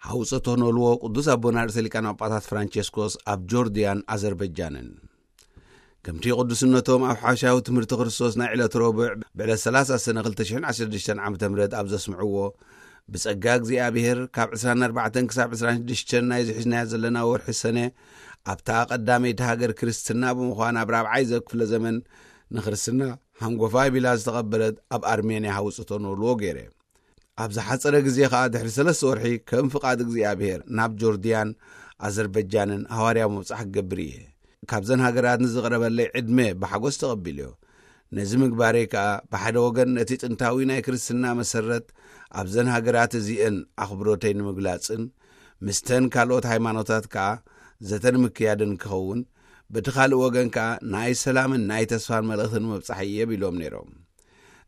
ሓውፀቶ ነልዎ ቅዱስ ኣቦና ርእሰ ሊቃነ ጳጳሳት ፍራንቸስኮስ ኣብ ጆርድያን ኣዘርበጃንን። ከምቲ ቅዱስነቶም ኣብ ሓሻዊ ትምህርቲ ክርስቶስ ናይ ዕለት ረቡዕ ብዕለት ሰላሳ ሰነ ክልተ ሽሕን ዓሰርተ ሽዱሽተን ዓመተ ምህረት ኣብ ዘስምዕዎ፣ ብጸጋ እግዚኣብሔር ካብ ዕስራን ኣርባዕተን ክሳብ ዕስራን ሽዱሽተን ናይ ዝሕዝናያ ዘለና ወርሒ ሰነ ኣብታ ቀዳመይቲ ሃገር ክርስትና ብምዃን ኣብ ራብዓይ ዘክፍለ ዘመን ንክርስትና ሃንጎፋይ ቢላ ዝተቐበለት ኣብ ኣርሜንያ ሃውፅቶ ነልዎ ገይረ። ኣብ ዝሓጸረ ግዜ ኸኣ ድሕሪ ሰለስተ ወርሒ ከም ፍቓድ እግዚኣብሔር ናብ ጆርድያን ኣዘርበጃንን ሃዋርያዊ መብጻሕ ክገብር እየ። ካብዘን ሃገራት ንዝቕረበለይ ዕድመ ብሓጎስ ተቐቢልዮ። ነዚ ምግባረይ ከኣ ብሓደ ወገን ነቲ ጥንታዊ ናይ ክርስትና መሰረት ኣብዘን ሃገራት እዚአን ኣኽብሮተይ ንምግላጽን ምስተን ካልኦት ሃይማኖታት ከኣ ዘተ ንምክያድን ክኸውን፣ በቲ ካልእ ወገን ከኣ ናይ ሰላምን ናይ ተስፋን መልእኽቲ ንምብጻሕ እየ ቢሎም ነይሮም።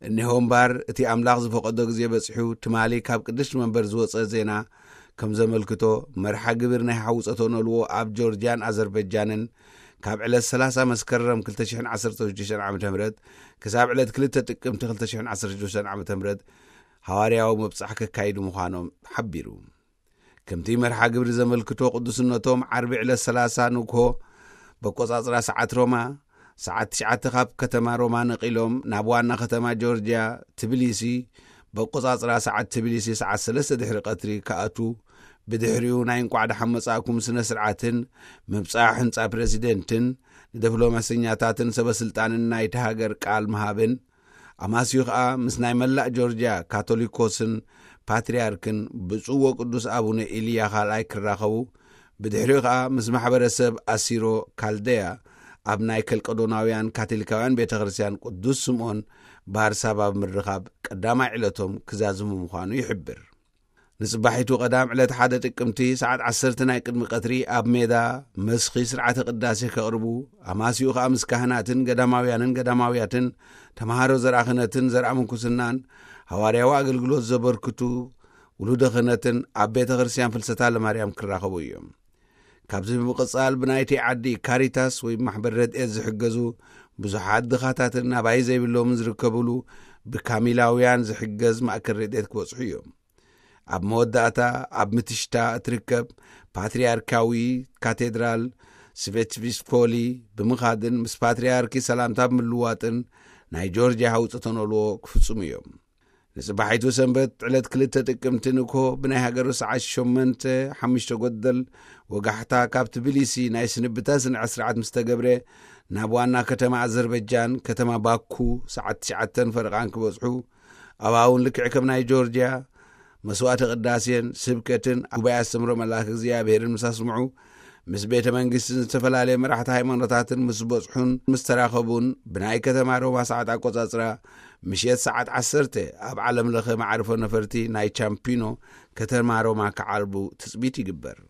እኒሆ እምባር እቲ ኣምላኽ ዝፈቐዶ ግዜ በጺሑ ትማሊ ካብ ቅድስቲ መንበር ዝወጸ ዜና ከም ዘመልክቶ፣ መርሓ ግብር ናይ ሓውፀቶ ነልዎ ኣብ ጆርጅያን ኣዘርበጃንን ካብ ዕለት ሰላሳ መስከረም ክልተ ሽሕን ዓሰርተ ሽዱሽተን ዓመተ ምህረት ክሳብ ዕለት ክልተ ጥቅምቲ ክልተ ሽሕን ዓሰርተ ሽዱሽተን ዓመተ ምህረት ሃዋርያዊ መብጻሕ ከካይዱ ምዃኖም ሓቢሩ። ከምቲ መርሓ ግብሪ ዘመልክቶ ቅዱስነቶም ዓርቢ ዕለት ሰላሳ ንግሆ በቆጻጽራ ሰዓት ሮማ ሰዓት ትሽዓተ ካብ ከተማ ሮማ ነቒሎም ናብ ዋና ከተማ ጆርጅያ ትብሊሲ በቆጻጽራ ሰዓት ትብሊሲ ሰዓት ሰለስተ ድሕሪ ቀትሪ ክኣቱ፣ ብድሕሪኡ ናይ እንቋዕ ደሓን መጻእኩም ስነ ስርዓትን ምብጻሕ ህንጻ ፕረዚደንትን ንዲፕሎማሰኛታትን ሰበስልጣንን ናይቲ ሃገር ቃል ምሃብን ኣማስዩ ኸኣ ምስ ናይ መላእ ጆርጅያ ካቶሊኮስን ፓትርያርክን ብፁዕ ወቅዱስ ኣቡነ ኢልያ ካልኣይ ክራኸቡ፣ ብድሕሪኡ ኸኣ ምስ ማሕበረሰብ ኣሲሮ ካልደያ ኣብ ናይ ከልቀዶናውያን ካቶሊካውያን ቤተ ክርስቲያን ቅዱስ ስምዖን ባርሳባ ብምርኻብ ቀዳማይ ዕለቶም ክዛዝሙ ምዃኑ ይሕብር። ንጽባሒቱ ቀዳም ዕለት ሓደ ጥቅምቲ ሰዓት ዓሰርተ ናይ ቅድሚ ቀትሪ ኣብ ሜዳ መስኺ ስርዓተ ቅዳሴ ከቕርቡ፣ ኣማስዩ ኸኣ ምስ ካህናትን ገዳማውያንን ገዳማውያትን ተምሃሮ ዘርኣ ክህነትን ዘርኣ ምንኩስናን ሃዋርያዊ ኣገልግሎት ዘበርክቱ ውሉደ ክህነትን ኣብ ቤተ ክርስቲያን ፍልሰታ ለማርያም ክራኸቡ እዮም። ካብዚ ብምቕጻል ብናይቲ ዓዲ ካሪታስ ወይ ማሕበር ረድኤት ዝሕገዙ ብዙሓት ድኻታትን ናባይ ዘይብሎምን ዝርከብሉ ብካሚላውያን ዝሕገዝ ማእከል ረድኤት ክበጽሑ እዮም። ኣብ መወዳእታ ኣብ ምትሽታ እትርከብ ፓትርያርካዊ ካቴድራል ስቬትስፖሊ ብምኻድን ምስ ፓትርያርኪ ሰላምታ ብምልዋጥን ናይ ጆርጅያ ሃውፅቶ ነልዎ ክፍጽሙ እዮም። ንጽባሒቱ ሰንበት ዕለት ክልተ ጥቅምቲ ንግሆ ብናይ ሃገሩ ሰዓት ሸሞንተ ሓሙሽተ ጎደል ወጋሕታ ካብ ትብሊሲ ናይ ስንብታ ስነ ስርዓት ምስ ተገብረ ናብ ዋና ከተማ ኣዘርበጃን ከተማ ባኩ ሰዓት ትሽዓተን ፈረቓን ክበጽሑ ኣብኣ እውን ልክዕ ከም ናይ ጆርጅያ መስዋዕተ ቅዳሴን ስብከትን ጉባኤ ኣስተምሮ መልኣክ እግዚኣብሔርን ምስ ኣስምዑ ምስ ቤተ መንግስትን ዝተፈላለየ መራሕቲ ሃይማኖታትን ምስ በጽሑን ምስ ተራኸቡን ብናይ ከተማ ሮማ ሰዓት ኣቆጻጽራ ምሽት ሰዓት ዓሰርተ ኣብ ዓለም ለኸ መዓርፎ ነፈርቲ ናይ ቻምፒኖ ከተማ ሮማ ክዓርቡ ትጽቢት ይግበር።